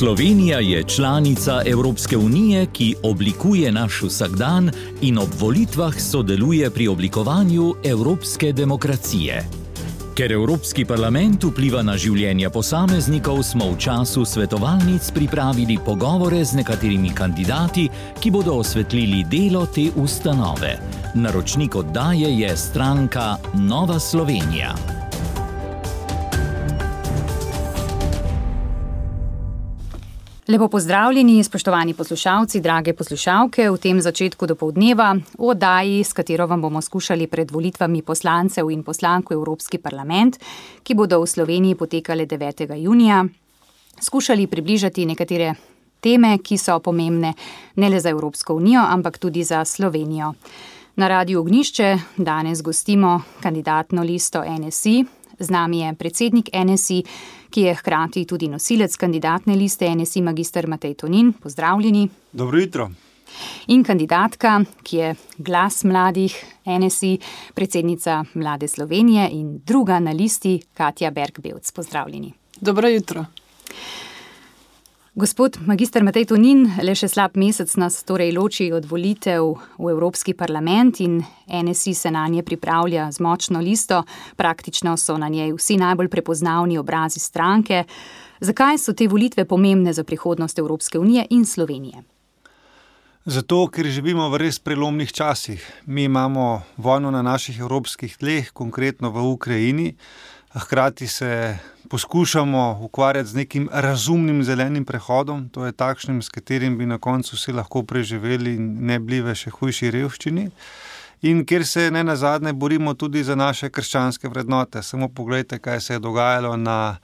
Slovenija je članica Evropske unije, ki oblikuje naš vsakdan in ob volitvah sodeluje pri oblikovanju evropske demokracije. Ker Evropski parlament vpliva na življenja posameznikov, smo v času svetovalnic pripravili pogovore z nekaterimi kandidati, ki bodo osvetlili delo te ustanove. Naročnik oddaje je stranka Nova Slovenija. Lepo pozdravljeni, spoštovani poslušalci, drage poslušalke, v tem začetku dopoldneva v oddaji, s katero vam bomo skušali pred volitvami poslancev in poslank v Evropski parlament, ki bodo v Sloveniji potekale 9. junija, skušali približati nekatere teme, ki so pomembne ne le za Evropsko unijo, ampak tudi za Slovenijo. Na Radiu Ognjišče danes gostimo kandidatno listo NSI. Z nami je predsednik NSI, ki je hkrati tudi nosilec kandidatne liste NSI magister Matej Tonin. Pozdravljeni. Dobro jutro. In kandidatka, ki je glas mladih NSI, predsednica Mlade Slovenije in druga na listi, Katja Berg-Bevc. Pozdravljeni. Dobro jutro. Gospod magister Matej Tonin, le še slab mesec nas torej loči od volitev v Evropski parlament in NSI se na nje pripravlja z močno listo. Praktično so na njej vsi najbolj prepoznavni obrazi stranke. Zakaj so te volitve pomembne za prihodnost Evropske unije in Slovenije? Zato, ker živimo v res prelomnih časih. Mi imamo vojno na naših evropskih tleh, konkretno v Ukrajini. Hkrati se poskušamo ukvarjati z nekim razumnim zelenim prehodom, to je takšnim, s katerim bi na koncu vsi lahko preživeli in ne bili v še hujši revščini. In kjer se ne nazadnje borimo tudi za naše krščanske vrednote. Samo pogledajte, kaj se je dogajalo na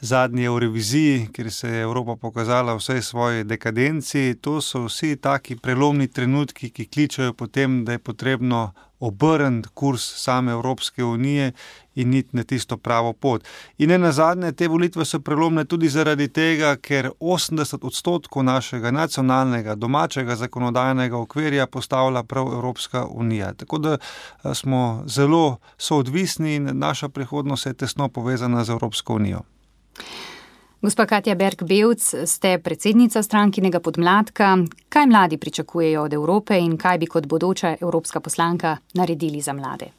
zadnji Euroviziji, kjer se je Evropa pokazala vsej svoji dekadenci. To so vsi taki prelomni trenutki, ki kličejo po tem, da je potrebno obrniti kurs same Evropske unije in iti na tisto pravo pot. In ne nazadnje, te volitve so prelomne tudi zaradi tega, ker 80% našega nacionalnega, domačega zakonodajnega okvirja postavlja prav Evropska unija. Tako da smo zelo soodvisni in naša prihodnost je tesno povezana z Evropsko unijo. Gospa Katja Berg-Bevc, ste predsednica strankinega podmladka. Kaj mladi pričakujejo od Evrope in kaj bi kot bodoča evropska poslanka naredili za mlade?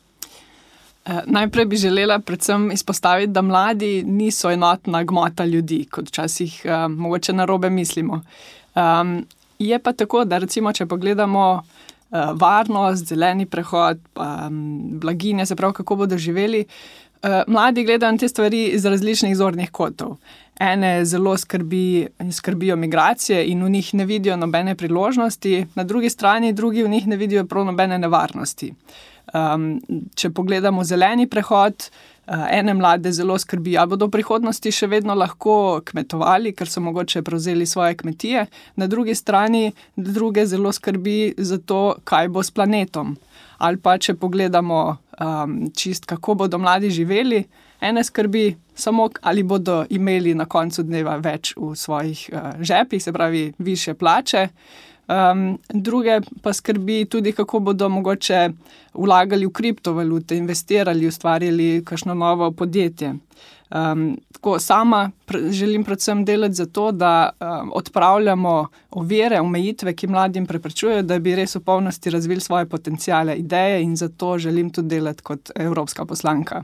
Najprej bi želela predvsem izpostaviti, da mladi niso enotna gmota ljudi, kot včasih mogoče narobe mislimo. Je pa tako, da recimo, če pogledamo varnost, zeleni prehod, blaginje, se pravi, kako bodo živeli, mladi gledajo na te stvari iz različnih zornih kotov. Ene zelo skrbijo migracije in v njih ne vidijo nobene priložnosti, na drugi strani drugi v njih ne vidijo prav nobene nevarnosti. Če pogledamo zeleni prehod, ene mlade zelo skrbi, ali bodo v prihodnosti še vedno lahko kmetovali, ker so mogoče prevzeli svoje kmetije, na drugi strani druge zelo skrbi za to, kaj bo s planetom. Ali pa če pogledamo čist, kako bodo mladi živeli, ene skrbi samo, ali bodo imeli na koncu dneva več v svojih žepih, se pravi višje plače. Druge pa skrbi tudi, kako bodo mogoče vlagali v kriptovalute, investirali, ustvarjali kakšno novo podjetje. Tako sama želim predvsem delati za to, da odpravljamo ovire, omejitve, ki mladim preprečujejo, da bi res v polnosti razvili svoje potenciale, ideje in zato želim tudi delati kot evropska poslanka.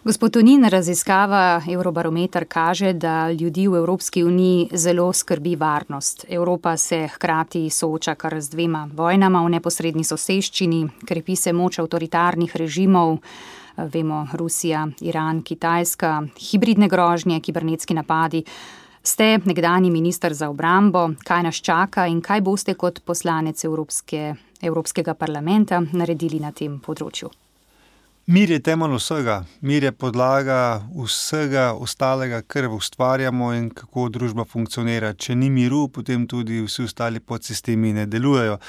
Gospod Tonin, raziskava Eurobarometer kaže, da ljudi v Evropski uniji zelo skrbi varnost. Evropa se hkrati sooča kar z 2 vojnama v neposredni soseščini, krepi se moč avtoritarnih režimov, vemo Rusija, Iran, Kitajska, hibridne grožnje, kibernetski napadi. Ste nekdanji minister za obrambo, kaj nas čaka in kaj boste kot poslanec Evropskega parlamenta naredili na tem področju? Mir je temelj vsega, mir je podlaga vsega ostalega, kar ustvarjamo in kako družba funkcionira. Če ni miru, potem tudi vsi ostali podsistemi ne delujejo.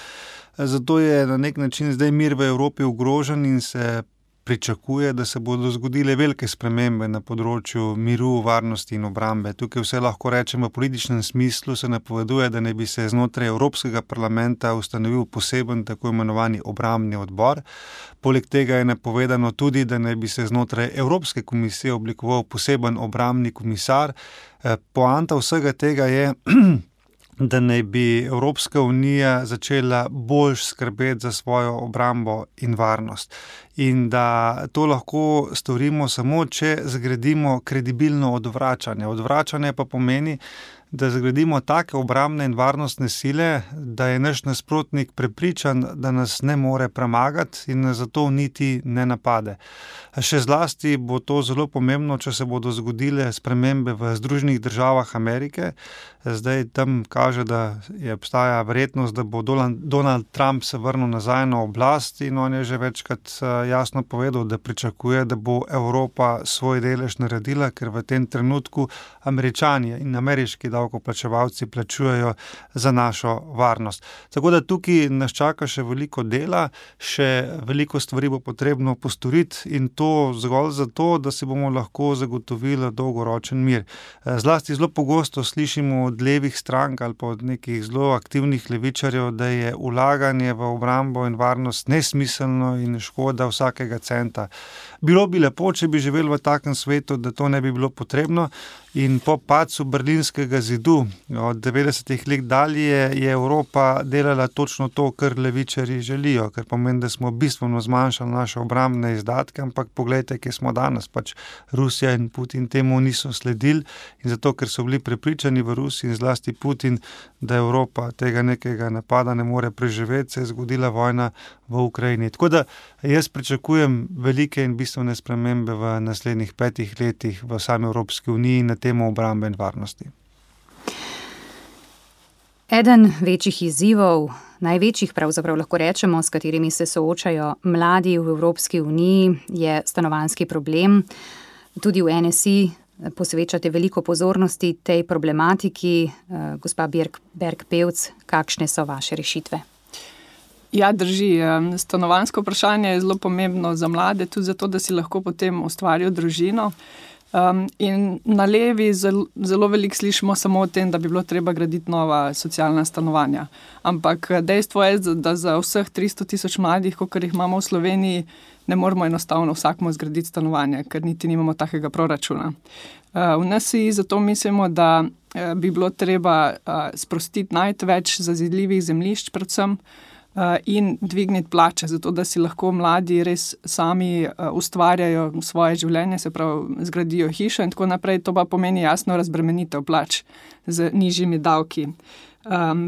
Zato je na nek način zdaj mir v Evropi ogrožen in se pričakuje, da se bodo zgodile velike spremembe na področju miru, varnosti in obrambe. Tukaj vse lahko rečemo v političnem smislu, se napoveduje, da ne bi se znotraj Evropskega parlamenta ustanovil poseben tako imenovani obrambni odbor. Poleg tega je napovedano tudi, da ne bi se znotraj Evropske komisije oblikoval poseben obrambni komisar. Poanta vsega tega je, da naj bi Evropska unija začela bolj skrbeti za svojo obrambo in varnost. In da to lahko storimo samo, če zgradimo kredibilno odvračanje. Odvračanje pa pomeni, da zgradimo take obrambne in varnostne sile, da je naš nasprotnik prepričan, da nas ne more premagati in zato niti ne napade. Še zlasti bo to zelo pomembno, če se bodo zgodile spremembe v Združenih državah Amerike. Zdaj tam kaže, da obstaja verjetnost, da bo Donald Trump se vrnil nazaj na oblast in on je že večkrat jasno povedal, da pričakuje, da bo Evropa svoj delež naredila, ker v tem trenutku Američani in ameriški davkoplačevalci plačujejo za našo varnost. Tako da tukaj nas čaka še veliko dela, še veliko stvari bo potrebno postoriti in to zgolj zato, da si bomo lahko zagotovili dolgoročen mir. Zlasti zelo pogosto slišimo od levih strank ali pa od nekih zelo aktivnih levičarjev, da je vlaganje v obrambo in varnost nesmiselno in škoda vsakega centa. Bilo bi lepo, če bi živeli v takem svetu, da to ne bi bilo potrebno. In po padcu Berlinskega zidu od 90-ih let dalje je Evropa delala točno to, kar levičarji želijo, ker pomeni, da smo bistveno zmanjšali naše obrambne izdatke, ampak poglejte, kje smo danes. Pač Rusija in Putin temu niso sledili in zato, ker so bili prepričani v Rusiji in zlasti Putin, da Evropa tega nekega napada ne more preživeti, se je zgodila vojna v Ukrajini. Tako da jaz pričakujem velike in bistvene spremembe v naslednjih 5 letih v sami Evropski uniji na temo obrambe in varnosti. Eden večjih izzivov, največjih pravzaprav lahko rečemo, s katerimi se soočajo mladi v Evropski uniji, je stanovanjski problem. Tudi v NSI posvečate veliko pozornosti tej problematiki. Gospa Berg-Pevc, kakšne so vaše rešitve? Ja, drži. Stanovanjsko vprašanje je zelo pomembno za mlade, tudi zato, da si lahko potem ustvarijo družino. In na levi zelo veliko slišimo samo o tem, da bi bilo treba graditi nova socialna stanovanja. Ampak dejstvo je, da za vseh 300 000 mladih, kolikor jih imamo v Sloveniji, ne moramo enostavno vsakmu zgraditi stanovanja, ker niti nimamo takega proračuna. V NSI zato mislimo, da bi bilo treba sprostiti najti več zazidljivih zemljišč predvsem, in dvigniti plače, zato da si lahko mladi res sami ustvarjajo svoje življenje, se pravi zgradijo hišo in tako naprej. To pa pomeni jasno razbremenitev plač z nižjimi davki.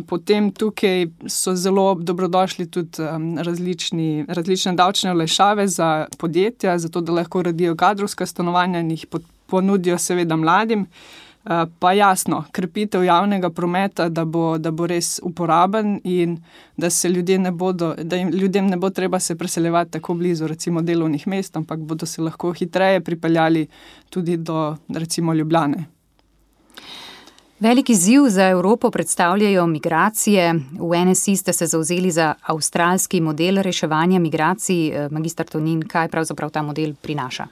Potem tukaj so zelo dobrodošli tudi različne davčne olajšave za podjetja, zato da lahko uredijo kadrovska stanovanja in jih ponudijo seveda mladim. Pa jasno, krepitev javnega prometa, da bo res uporaben in da ljudem ne bo treba se preseljevati tako blizu recimo delovnih mest, ampak bodo se lahko hitreje pripeljali tudi do recimo Ljubljane. Velik izziv za Evropo predstavljajo migracije. V NSI ste se zavzeli za avstralski model reševanja migracij. Magister Tonin, kaj pravzaprav ta model prinaša?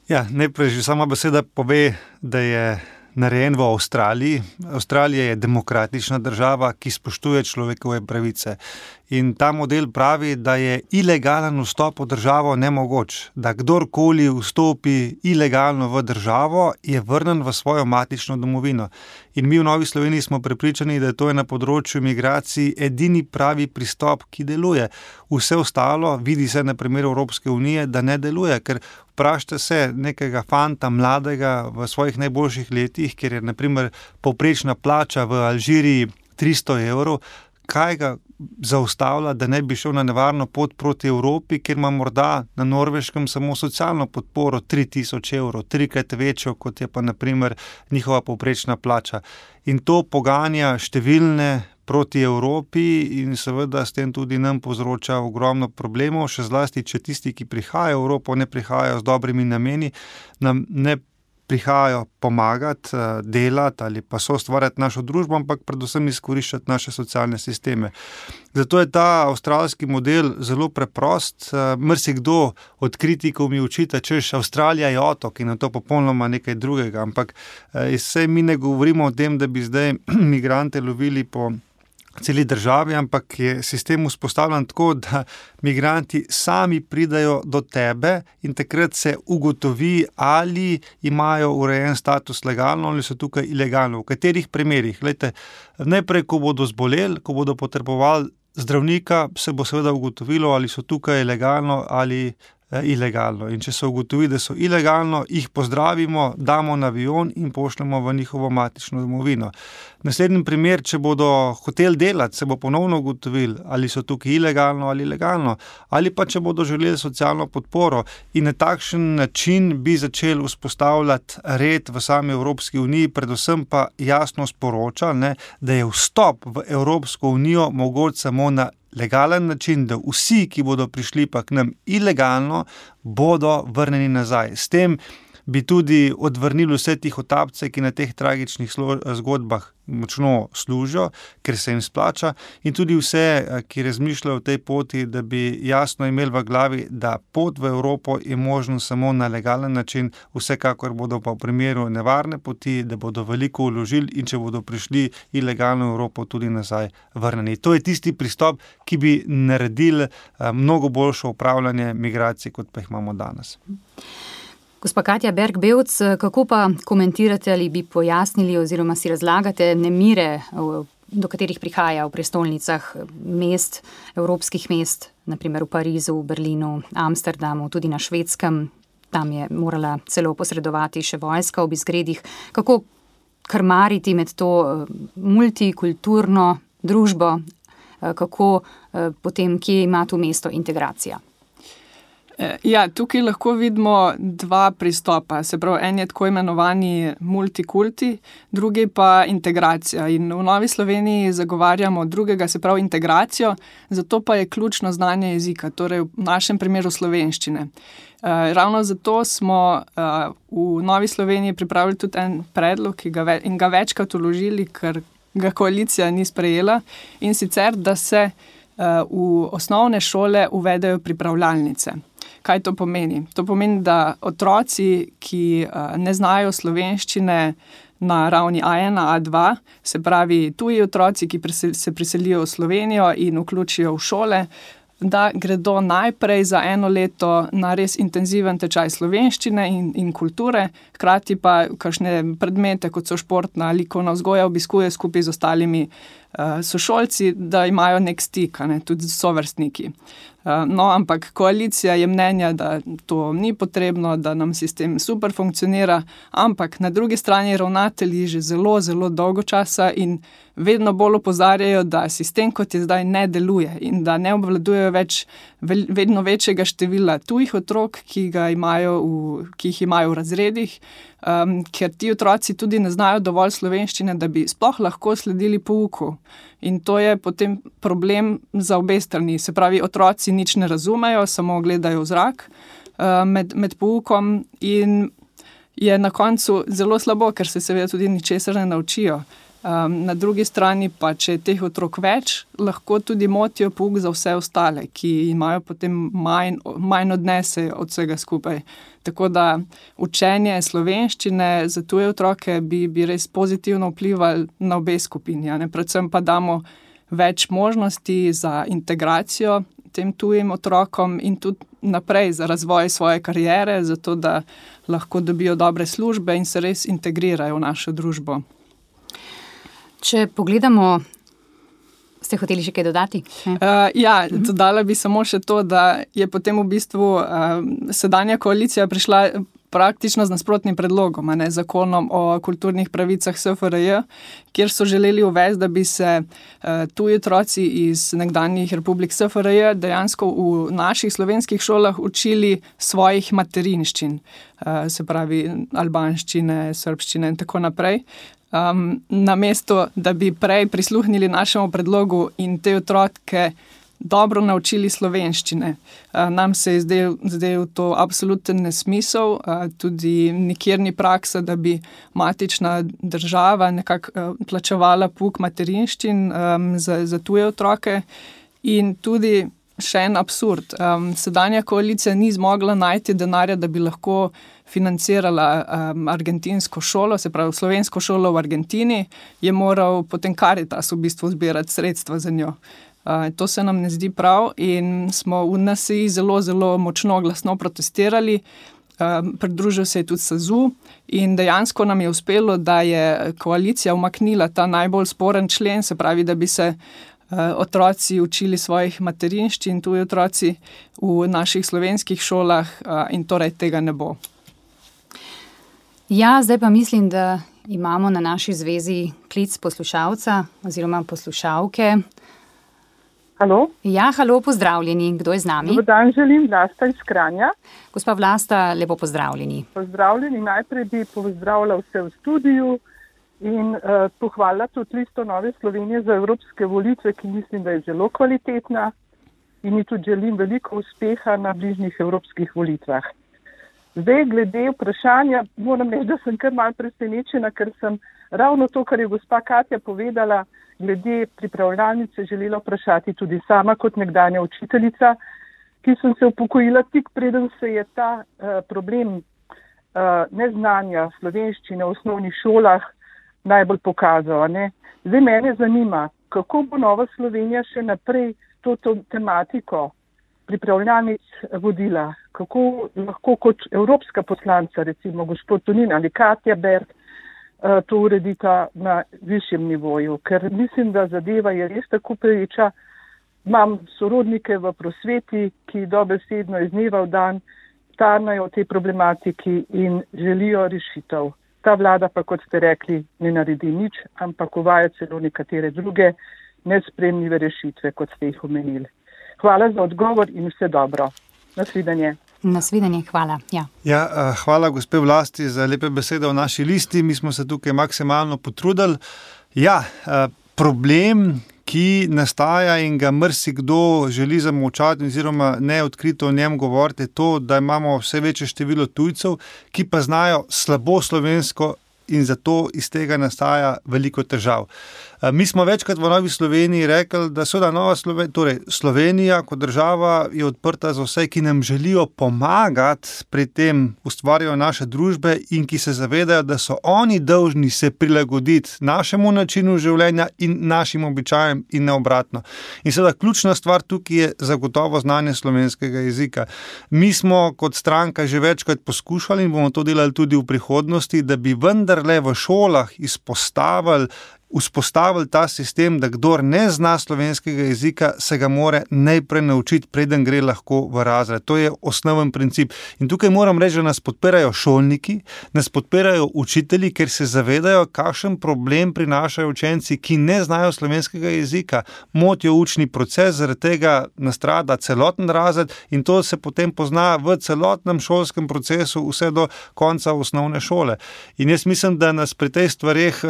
Ja, najprej že sama beseda pove, da je narejen v Avstraliji. Avstralija je demokratična država, ki spoštuje človekove pravice. In ta model pravi, da je ilegalen vstop v državo nemogoč. Da kdorkoli vstopi ilegalno v državo, je vrnen v svojo matično domovino. In mi v Novi Sloveniji smo prepričani, da to je na področju migracij edini pravi pristop, ki deluje. Vse ostalo, vidi se na primeru Evropske unije, da ne deluje, ker vprašajte se nekega fanta mladega v svojih najboljših letih, kjer je na primer povprečna plača v Alžiriji 300 evrov, kaj ga zaustavlja, da ne bi šel na nevarno pot proti Evropi, kjer ima morda na Norveškem samo socialno podporo 3000 evrov, 3-krat večjo, kot je pa na primer njihova povprečna plača. In to poganja številne proti Evropi in seveda s tem tudi nam povzroča ogromno problemov, še zlasti, če tisti, ki prihajajo v Evropo, ne prihajajo z dobrimi nameni, nam ne prihajajo pomagati, delati ali pa soustvarjati našo družbo, ampak predvsem izkoriščati naše socialne sisteme. Zato je ta avstralski model zelo preprost. Marsikdo od kritikov mi očita, češ Avstralija je otok in je to popolnoma nekaj drugega, ampak saj mi ne govorimo o tem, da bi zdaj migrante lovili po celi državi, ampak je sistem vzpostavljen tako, da migranti sami pridajo do tebe in takrat se ugotovi, ali imajo urejen status legalno ali so tukaj ilegalno. V katerih primerih? Glejte, najprej, ko bodo zboleli, ko bodo potrebovali zdravnika, se bo seveda ugotovilo, ali so tukaj legalno ali ilegalno. In če se ugotovi, da so ilegalno, jih pozdravimo, damo na avion in pošljemo v njihovo matično domovino. Naslednji primer, če bodo hoteli delati, se bo ponovno ugotovili, ali so tukaj ilegalno ali legalno, ali pa če bodo želeli socialno podporo. In na takšen način bi začeli vzpostavljati red v sami Evropski uniji, predvsem pa jasno sporočali, da je vstop v Evropsko unijo mogoč samo na legalen način, da vsi, ki bodo prišli pa k nam ilegalno, bodo vrneni nazaj. S tem bi tudi odvrnili vse tih otapce, ki na teh tragičnih zgodbah močno služijo, ker se jim splača, in tudi vse, ki razmišljajo o tej poti, da bi jasno imeli v glavi, da pot v Evropo je možno samo na legalen način, vsekakor bodo pa v primeru nevarne poti, da bodo veliko vložili in če bodo prišli ilegalno v Evropo, tudi nazaj vrneni. To je tisti pristop, ki bi naredil mnogo boljše upravljanje migracij, kot pa jih imamo danes. Gospa Katja Berg-Bevc, kako pa komentirate ali bi pojasnili oziroma si razlagate nemire, do katerih prihaja v prestolnicah mest, evropskih mest, naprimer v Parizu, v Berlinu, Amsterdamu, tudi na Švedskem, tam je morala celo posredovati še vojska ob izgredih. Kako krmariti med to multikulturno družbo, kako potem, kje ima tu mesto integracija? Ja, tukaj lahko vidimo dva pristopa. Se pravi, en je tako imenovani multikulti, drugi pa integracija. In v Novi Sloveniji zagovarjamo drugega, se pravi integracijo, zato pa je ključno znanje jezika, torej v našem primeru slovenščine. Ravno zato smo v Novi Sloveniji pripravili tudi en predlog, in ga večkrat vložili, ker ga koalicija ni sprejela, in sicer, da se v osnovne šole uvedejo pripravljalnice. Kaj to pomeni? To pomeni, da otroci, ki ne znajo slovenščine na ravni A1, A2, se pravi tuji otroci, ki se priselijo v Slovenijo in vključijo v šole, da gredo najprej za 1 leto na res intenziven tečaj slovenščine in kulture, hkrati pa kakšne predmete, kot so športna, likovna vzgoja, obiskuje skupaj z ostalimi sošolci, da imajo nek stik, tudi sovrstniki. No, ampak koalicija je mnenja, da to ni potrebno, da nam sistem super funkcionira, ampak na drugi strani ravnatelji že zelo, zelo dolgo časa in vedno bolj opozarjajo, da sistem, kot je zdaj, ne deluje in da ne obvladujejo več vedno večjega števila tujih otrok, ki jih imajo v razredih, ker ti otroci tudi ne znajo dovolj slovenščine, da bi sploh lahko sledili pouku. In to je potem problem za obe strani. Se pravi, otroci nič ne razumejo, samo gledajo v zrak med poukom in je na koncu zelo slabo, ker se seveda tudi ničesar ne naučijo. Na drugi strani pa, če je teh otrok več, lahko tudi motijo pouk za vse ostale, ki imajo potem manj odnese od vsega skupaj. Tako da učenje slovenščine za tuje otroke bi res pozitivno vplivali na obe skupini. Predvsem pa damo več možnosti za integracijo tem tujim otrokom in tudi naprej za razvoj svoje kariere, zato da lahko dobijo dobre službe in se res integrirajo v našo družbo. Če pogledamo, ste hoteli še kaj dodati? Dodala bi samo še to, da je potem v bistvu sedanja koalicija prišla praktično z nasprotnim predlogom, zakonom o kulturnih pravicah SFRJ, kjer so želeli uvesti, da bi se tuji otroci iz nekdanjih republik SFRJ dejansko v naših slovenskih šolah učili svojih materinščin, se pravi albanščine, srbščine in tako naprej. Namesto, da bi prej prisluhnili našemu predlogu in te otroke dobro naučili slovenščine. Nam se je zdel to absoluten nesmisel, tudi nikjer ni praksa, da bi matična država nekako plačevala pouk materinščin za tuje otroke. In tudi še en absurd. Sedanja koalicija ni zmogla najti denarja, da bi lahko financirala argentinsko šolo, se pravi slovensko šolo v Argentini, je moral potem Caritas v bistvu zbirati sredstva za njo. To se nam ne zdi prav in smo v NSI zelo, zelo močno glasno protestirali. Pridružil se je tudi SAZU in dejansko nam je uspelo, da je koalicija umaknila ta najbolj sporen člen, se pravi, da bi se otroci učili svojih materinščin, tuji otroci v naših slovenskih šolah in torej tega ne bo. Ja, zdaj pa mislim, da imamo na naši zvezi klic poslušalca oziroma poslušalke. Halo? Ja, halo, pozdravljeni. Kdo je z nami? Dobar dan, želim, Vlasta iz Kranja. Gospa Vlasta, lepo pozdravljeni. Pozdravljeni, najprej bi pozdravila vse v studiju in pohvalila tudi listo Nove Slovenije za evropske volitve, ki mislim, da je zelo kvalitetna in ji tudi želim veliko uspeha na bližnjih evropskih volitvah. Zdaj, glede vprašanja, moram reči, da sem kar malo presenečena, ker sem ravno to, kar je gospa Katja povedala, glede pripravljalnice želela vprašati tudi sama kot nekdanja učiteljica, ki sem se upokojila tik preden se je ta problem neznanja slovenščine v osnovnih šolah najbolj pokazal. Ne? Zdaj mene zanima, kako bo Nova Slovenija še naprej to tematiko pripravljalnic vodila, kako lahko kot evropska poslanca, recimo gospod Tonin ali Katja Berg, to uredita na višjem nivoju, ker mislim, da zadeva je res tako pereča. Imam sorodnike v prosveti, ki dobesedno iz dneva v dan tarnajo o tej problematiki in želijo rešitev. Ta vlada pa, kot ste rekli, ne naredi nič, ampak uvaja celo nekatere druge nesprejemljive rešitve, kot ste jih omenili. Hvala za odgovor in vse dobro. Nasvidenje. Nasvidenje, hvala. Ja, hvala gospe Vlasti za lepe besede o naši listi. Mi smo se tukaj maksimalno potrudili. Ja, problem, ki nastaja in ga marsikdo želi zamolčati oziroma ne odkrito o njem govoriti, je to, da imamo vse večje število tujcev, ki pa znajo slabo slovensko in zato iz tega nastaja veliko težav. Mi smo večkrat v Novi Sloveniji rekli, da Slovenija kot država je odprta za vse, ki nam želijo pomagati pri tem ustvarjanju naše družbe in ki se zavedajo, da so oni dolžni se prilagoditi našemu načinu življenja in našim običajem in ne obratno. In seveda ključna stvar tukaj je zagotovo znanje slovenskega jezika. Mi smo kot stranka že večkrat poskušali in bomo to delali tudi v prihodnosti, da bi vendarle v šolah vzpostavili ta sistem, da kdor ne zna slovenskega jezika, se ga mora najprej naučiti, preden gre lahko v razred. To je osnoven princip. In tukaj moram reči, da nas podpirajo šolniki, nas podpirajo učitelji, ker se zavedajo, kakšen problem prinašajo učenci, ki ne znajo slovenskega jezika. Motijo učni proces, zaradi tega nastrada celoten razred in to se potem pozna v celotnem šolskem procesu vse do konca osnovne šole. In jaz mislim, da nas pri tej stvareh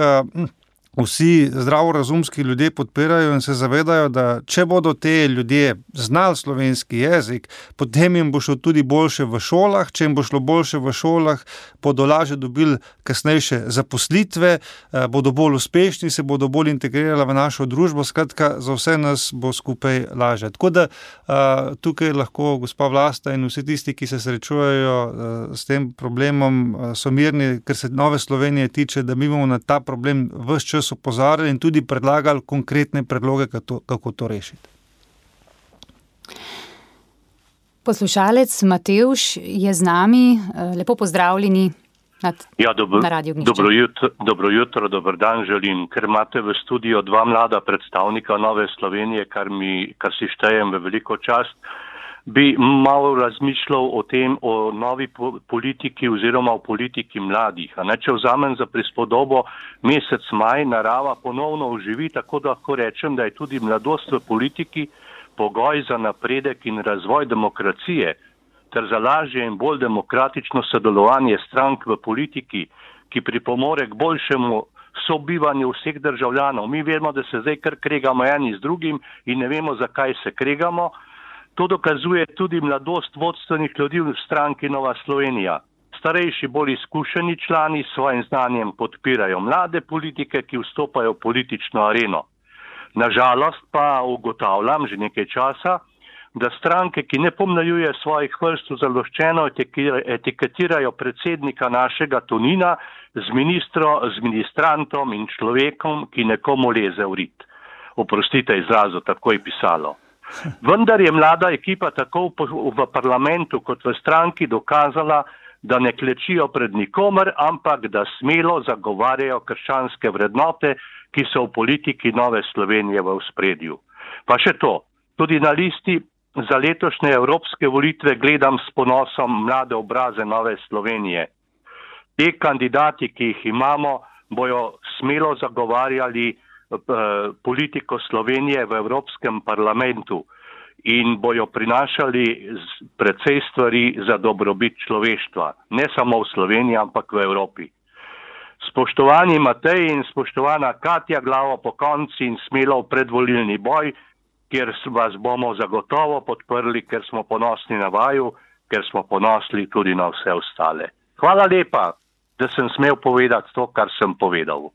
vsi zdravorazumski ljudje podpirajo in se zavedajo, da če bodo te ljudje znali slovenski jezik, potem jim bo šlo tudi boljše v šolah, če jim bo šlo boljše v šolah, bodo lažje dobili kasnejše zaposlitve, bodo bolj uspešni, se bodo bolj integrirali v našo družbo, skratka, za vse nas bo skupaj lažje. Tako da tukaj lahko gospa Vlasta in vsi tisti, ki se srečujejo s tem problemom, so mirni, ker se Nove Slovenije tiče, da mi bomo na ta problem ves čas opozarjali in tudi predlagali konkretne predloge, kako to rešiti. Poslušalec Matevž je z nami. Lepo pozdravljeni na Radio Ognjišče. Dobro jutro, dober dan želim. Ker imate v studiu dva mlada predstavnika Nove Slovenije, kar si štejem v veliko čast, bi malo razmišljal o tem, o novi politiki oziroma o politiki mladih. Če vzamem za prispodobo mesec maj, narava ponovno oživi, tako da lahko rečem, da je tudi mladost v politiki pogoj za napredek in razvoj demokracije, ter za lažje in bolj demokratično sodelovanje strank v politiki, ki pripomore k boljšemu sobivanju vseh državljanov. Mi vemo, da se zdaj kar kregamo eni z drugim in ne vemo, zakaj se kregamo. To dokazuje tudi mladost vodstvenih ljudi v stranki Nova Slovenija. Starejši, bolj izkušeni člani s svojim znanjem podpirajo mlade politike, ki vstopajo v politično areno. Nažalost pa ugotavljam že nekaj časa, da stranke, ki ne pomnajuje svojih vrst, zaloščeno etiketirajo predsednika našega Tonina z ministrantom in človekom, ki nekomu leze v rit. Oprostite izrazu, tako je pisalo. Vendar je mlada ekipa tako v parlamentu kot v stranki dokazala, da ne klečijo pred nikomer, ampak da smelo zagovarjajo krščanske vrednote, ki so v politiki Nove Slovenije v ospredju. Pa še to, tudi na listi za letošnje evropske volitve gledam s ponosom mlade obraze Nove Slovenije. Te kandidati, ki jih imamo, bojo smelo zagovarjali politiko Slovenije v Evropskem parlamentu in bojo prinašali precej stvari za dobrobit človeštva. Ne samo v Sloveniji, ampak v Evropi. Spoštovani Matej in spoštovana Katja, glavo po konci in smelo v predvolilni boj, kjer vas bomo zagotovo podprli, ker smo ponosni na vaju, ker smo ponosni tudi na vse ostale. Hvala lepa, da sem smel povedati to, kar sem povedal.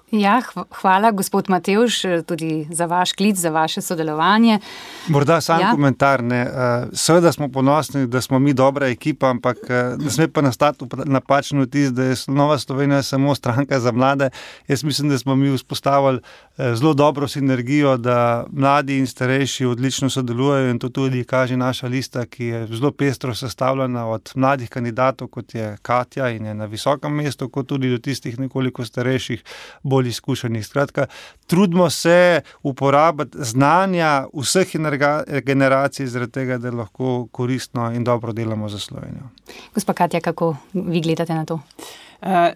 Ja, hvala, gospod Matevž, tudi za vaš klic, za vaše sodelovanje. Morda sam komentar, ne. Seveda smo ponosni, da smo mi dobra ekipa, ampak ne sme pa nastati napačen vtis, da je Nova Slovenija samo stranka za mlade. Jaz mislim, da smo mi vzpostavili zelo dobro sinergijo, da mladi in starejši odlično sodelujejo in to tudi kaže naša lista, ki je zelo pestro sestavljena od mladih kandidatov, kot je Katja in je na visokem mestu, kot tudi do tistih nekoliko starejših, bolj izkušenih. Skratka, trudimo se uporabiti znanja vseh generacij zaradi tega, da lahko koristno in dobro delamo za Slovenijo. Gospa Katja, kako vi gledate na to?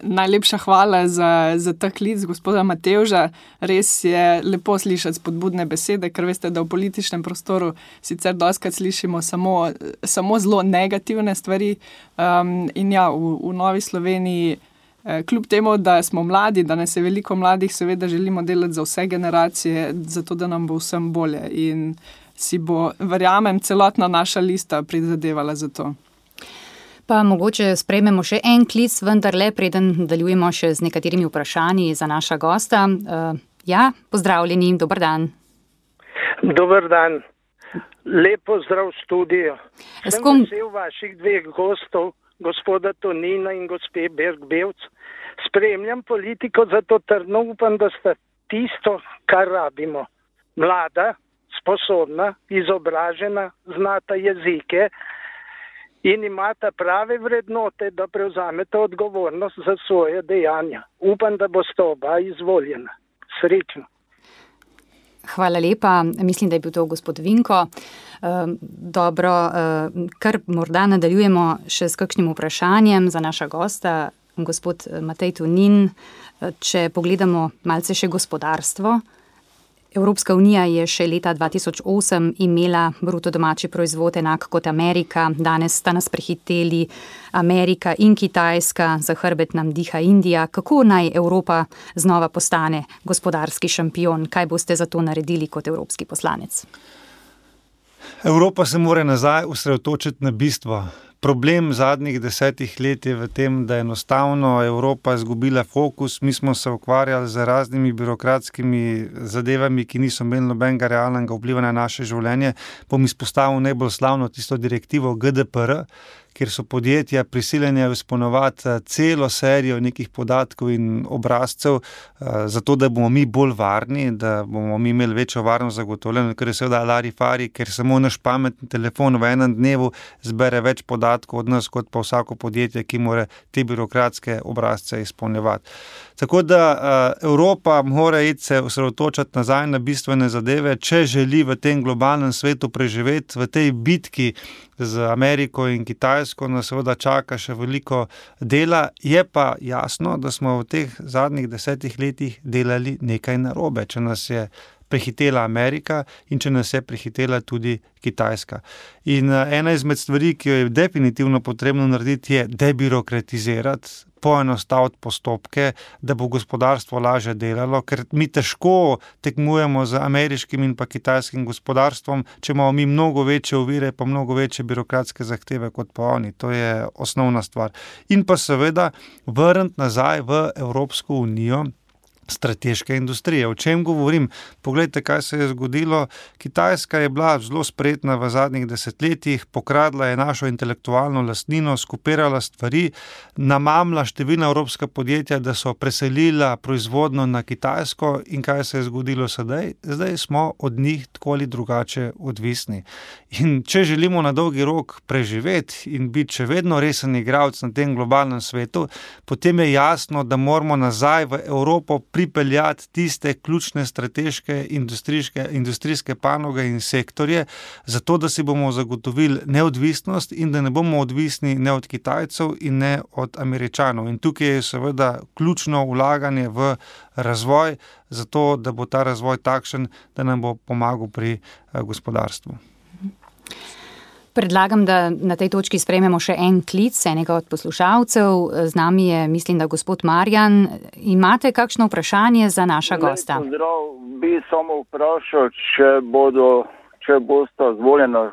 Najlepša hvala za ta klic gospoda Matevža. Res je lepo slišati spodbudne besede, ker veste, da v političnem prostoru sicer dostikrat slišimo samo zelo negativne stvari. In ja, v Novi Sloveniji, kljub temu, da smo mladi, da nas je veliko mladih, seveda želimo delati za vse generacije, zato da nam bo vsem bolje. In si bo, verjamem, celotna naša lista prizadevala za to. Pa mogoče sprejmemo še en klic, vendar le preden nadaljujemo še z nekaterimi vprašanji za naša gosta. Ja, pozdravljeni, dober dan. Dober dan. Lep pozdrav v studiu. Sem vesel vaših dveh gostov, gospoda Tonina in gospe Berg-Bevc. Spremljam politiko, zato trdno upam, da sta tisto, kar rabimo. Mlada, sposobna, izobražena, znata jezike, in imata prave vrednote, da prevzameta odgovornost za svoje dejanja. Upam, da boste oba izvoljena. Srečno. Hvala lepa. Mislim, da je bil to gospod Vinko. Dobro, kar morda nadaljujemo še s kakšnim vprašanjem za naša gosta, gospod Matej Tonin. Če pogledamo malce še gospodarstvo, Evropska unija je še leta 2008 imela bruto domači proizvod enak kot Amerika, danes sta nas prehiteli Amerika in Kitajska, za hrbet nam diha Indija. Kako naj Evropa znova postane gospodarski šampion? Kaj boste za to naredili kot evropski poslanec? Evropa se mora nazaj osredotočiti na bistvo. Problem zadnjih 10 let je v tem, da je enostavno Evropa izgubila fokus. Mi smo se ukvarjali z raznimi birokratskimi zadevami, ki niso imeli nobenega realnega vpliva na naše življenje. Bom izpostavil najbolj slavno tisto direktivo GDPR, kjer so podjetja prisiljene izpolnjevati celo serijo nekih podatkov in obrazcev, zato da bomo mi bolj varni, da bomo mi imeli večjo varnost zagotovljeno, ker je seveda larifari, ker samo naš pametni telefon v enem dnevu zbere več podatkov od nas, kot pa vsako podjetje, ki mora te birokratske obrazce izpolnjevati. Tako da Evropa mora se osredotočati nazaj na bistvene zadeve, če želi v tem globalnem svetu preživeti, v tej bitki z Ameriko in Kitajsko, nas seveda čaka še veliko dela. Je pa jasno, da smo v teh zadnjih 10 letih delali nekaj narobe. Če nas je prehitela Amerika in če nas je prehitela tudi Kitajska. In ena izmed stvari, ki jo je definitivno potrebno narediti, je debirokratizirati, poenostaviti postopke, da bo gospodarstvo lažje delalo, ker mi težko tekmujemo z ameriškim in pa kitajskim gospodarstvom, če imamo mi mnogo večje ovire, pa mnogo večje birokratske zahteve kot pa oni. To je osnovna stvar. In pa seveda vrniti nazaj v Evropsko unijo strateške industrije. O čem govorim? Poglejte, kaj se je zgodilo. Kitajska je bila zelo spretna v zadnjih desetletjih, pokradla je našo intelektualno lastnino, skupirala stvari, namamla številna evropska podjetja, da so preselila proizvodno na Kitajsko in kaj se je zgodilo sedaj? Zdaj smo od njih tako ali drugače odvisni. In če želimo na dolgi rok preživeti in biti še vedno resen igralec na tem globalnem svetu, potem je jasno, da moramo nazaj v Evropo pripeljati tiste ključne strateške industrijske panoge in sektorje, zato da si bomo zagotovili neodvisnost in da ne bomo odvisni ne od Kitajcev in ne od Američanov. In tukaj je seveda ključno vlaganje v razvoj, zato da bo ta razvoj takšen, da nam bo pomagal pri gospodarstvu. Predlagam, da na tej točki sprejmemo še en klic enega od poslušalcev. Z nami je, mislim, da gospod Marjan. Imate kakšno vprašanje za naša gosta? Pozdrav, bi samo vprašal, če bosta zvoljena,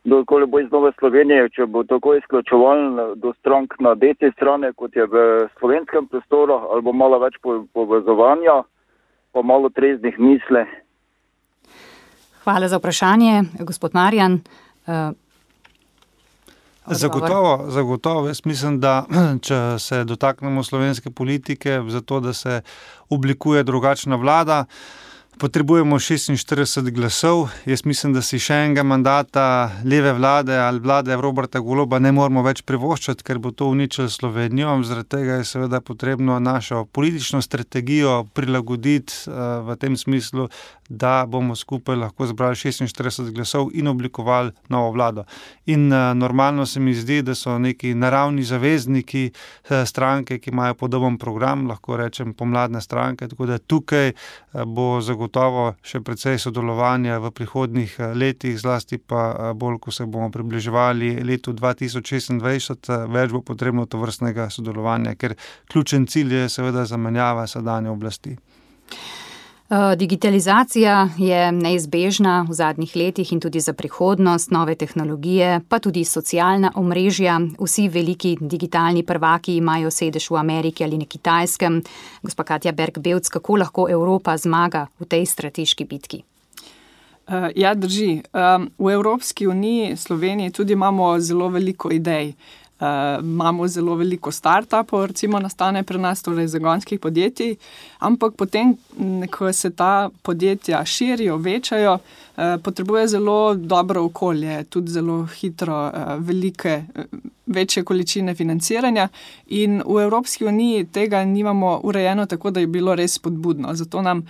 dokoli bo iz Nove Slovenije, če bo tako izključevalno do strank na desni strani, kot je v slovenskem prostoru, ali bo malo več povezovanja, pa malo treznih misli. Hvala za vprašanje, gospod Marjan. Zagotovo. Jaz mislim, da če se dotaknemo slovenske politike, zato da se oblikuje drugačna vlada, potrebujemo 46 glasov. Jaz mislim, da si še enega mandata leve vlade ali vlade Roberta Goloba ne moramo več privoščiti, ker bo to uničilo Slovenijo. Zaradi tega je seveda potrebno našo politično strategijo prilagoditi v tem smislu, da bomo skupaj lahko zbrali 46 glasov in oblikovali novo vlado. In normalno se mi zdi, da so neki naravni zavezniki stranke, ki imajo podoben program, lahko rečem pomladne stranke, tako da tukaj bo zagotovo še precej sodelovanja v prihodnjih letih, zlasti pa bolj, ko se bomo približevali letu 2026, več bo potrebno tovrstnega sodelovanja, ker ključen cilj je seveda zamenjava sedanje oblasti. Digitalizacija je neizbežna v zadnjih letih in tudi za prihodnost, nove tehnologije, pa tudi socialna omrežja. Vsi veliki digitalni prvaki imajo sedež v Ameriki ali na Kitajskem. Gospa Katja Berg-Bevc, kako lahko Evropa zmaga v tej strateški bitki? Ja, drži. V Evropski uniji, Sloveniji tudi imamo zelo veliko idej. Imamo zelo veliko startupov, recimo nastane pri nas, torej zagonskih podjetij, ampak potem, ko se ta podjetja širijo, večajo, potrebuje zelo dobro okolje, tudi zelo hitro večje količine financiranja in v Evropski uniji tega nimamo urejeno tako, da je bilo res spodbudno. Zato nam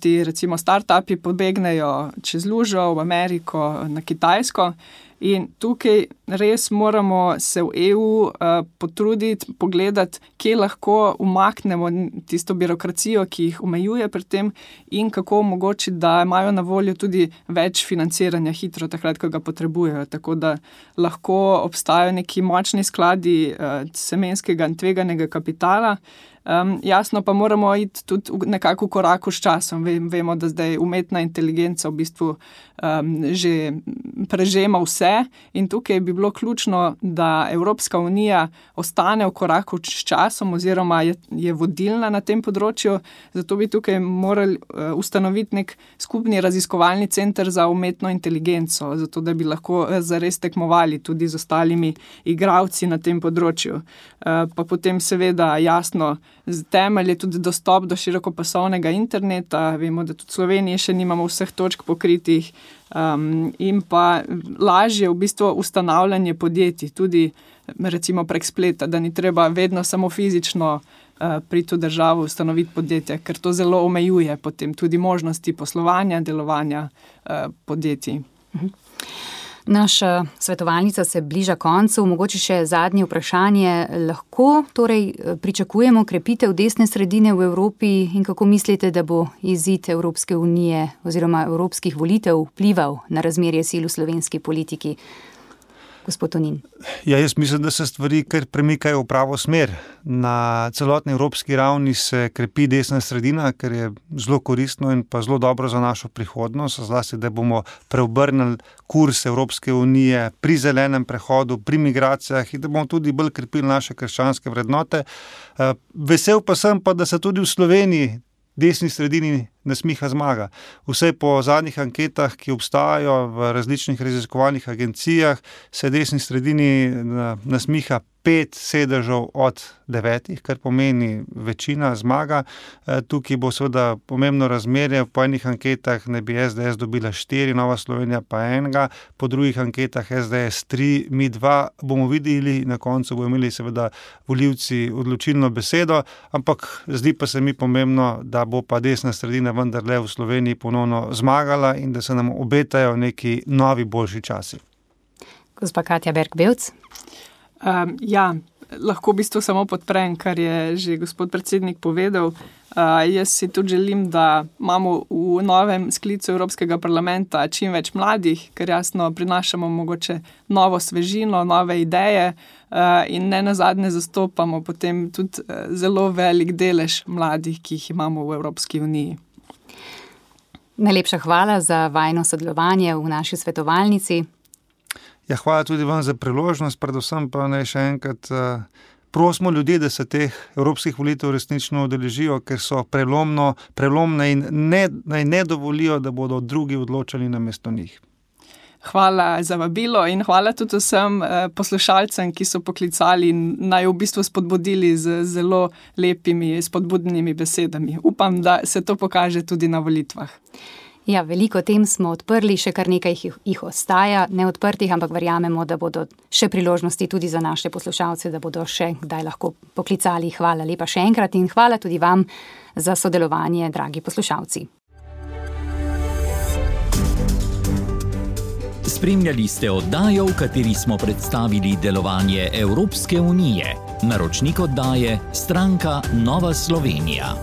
ti recimo startupi pobegnejo čez lužo v Ameriko, na Kitajsko. In tukaj res moramo se v EU potruditi, pogledati, kje lahko umaknemo tisto birokracijo, ki jih omejuje pri tem in kako omogočiti, da imajo na voljo tudi več financiranja hitro takrat, ko ga potrebujejo. Tako da lahko obstajajo neki močni skladi semenskega in tveganega kapitala. Jasno pa moramo iti tudi nekako v koraku s časom. Vemo, da zdaj umetna inteligenca v bistvu že prežema vse in tukaj bi bilo ključno, da Evropska unija ostane v koraku s časom oziroma je vodilna na tem področju. Zato bi tukaj morali ustanoviti nek skupni raziskovalni center za umetno inteligenco, zato da bi lahko zares tekmovali tudi z ostalimi igralci na tem področju. Pa potem seveda jasno, temelj je tudi dostop do širokopasovnega interneta. Vemo, da tudi v Sloveniji še nimamo vseh točk pokritih in pa lažje v bistvu ustanavljanje podjetij, tudi recimo prek spleta, da ni treba vedno samo fizično priti v državo ustanoviti podjetje, ker to zelo omejuje potem tudi možnosti poslovanja, delovanja podjetij. Naša svetovalnica se bliža koncu, mogoče še zadnje vprašanje. Lahko torej pričakujemo krepitev desne sredine v Evropi in kako mislite, da bo izid Evropske unije oziroma evropskih volitev vplival na razmerje sil v slovenski politiki? Gospod Tonin. Ja, jaz mislim, da se stvari kar premikajo v pravo smer. Na celotni evropski ravni se krepi desna sredina, kar je zelo koristno in pa zelo dobro za našo prihodnost, zlasti, da bomo preobrnili kurs Evropske unije pri zelenem prehodu, pri migracijah in da bomo tudi bolj krepili naše krščanske vrednote. Vesel pa sem pa, da se tudi v Sloveniji desni sredini nasmiha zmaga. Vse po zadnjih anketah, ki obstajajo v različnih raziskovalnih agencijah, se desni sredini nasmiha 5 sedežev od 9, kar pomeni večina zmaga. Tukaj bo seveda pomembno razmerje. Po enih anketah ne bi SDS dobila 4, Nova Slovenija pa 1, po drugih anketah SDS 3, mi 2. Bomo videli, na koncu bomo imeli seveda volivci odločilno besedo, ampak zdi pa se mi pomembno, da bo pa desna sredina vendarle v Sloveniji ponovno zmagala in da se nam obetajo neki novi boljši časi. Gospa Katja Berg-Bevc. Ja, lahko v bistvu samo podprem, kar je že gospod predsednik povedal. Jaz si tudi želim, da imamo v novem sklicu Evropskega parlamenta čim več mladih, ker jasno prinašamo mogoče novo svežino, nove ideje in ne nazadnje zastopamo potem tudi zelo velik delež mladih, ki jih imamo v Evropski uniji. Najlepša hvala za vajno sodelovanje v naši svetovalnici. Ja, hvala tudi vam za priložnost, predvsem pa naj še enkrat prosimo ljudi, da se teh evropskih volitev resnično udeležijo, ker so prelomne in naj ne dovolijo, da bodo drugi odločali namesto njih. Hvala za vabilo in hvala tudi vsem poslušalcem, ki so poklicali in naj v bistvu spodbudili z zelo lepimi, spodbudnimi besedami. Upam, da se to pokaže tudi na volitvah. Ja, veliko tem smo odprli, še kar nekaj jih ostaja neodprtih, ampak verjamemo, da bodo še priložnosti tudi za naše poslušalce, da bodo še kdaj lahko poklicali. Hvala lepa še enkrat in hvala tudi vam za sodelovanje, dragi poslušalci. Spremljali ste oddajo, v kateri smo predstavili delovanje Evropske unije. Naročnik oddaje stranka Nova Slovenija.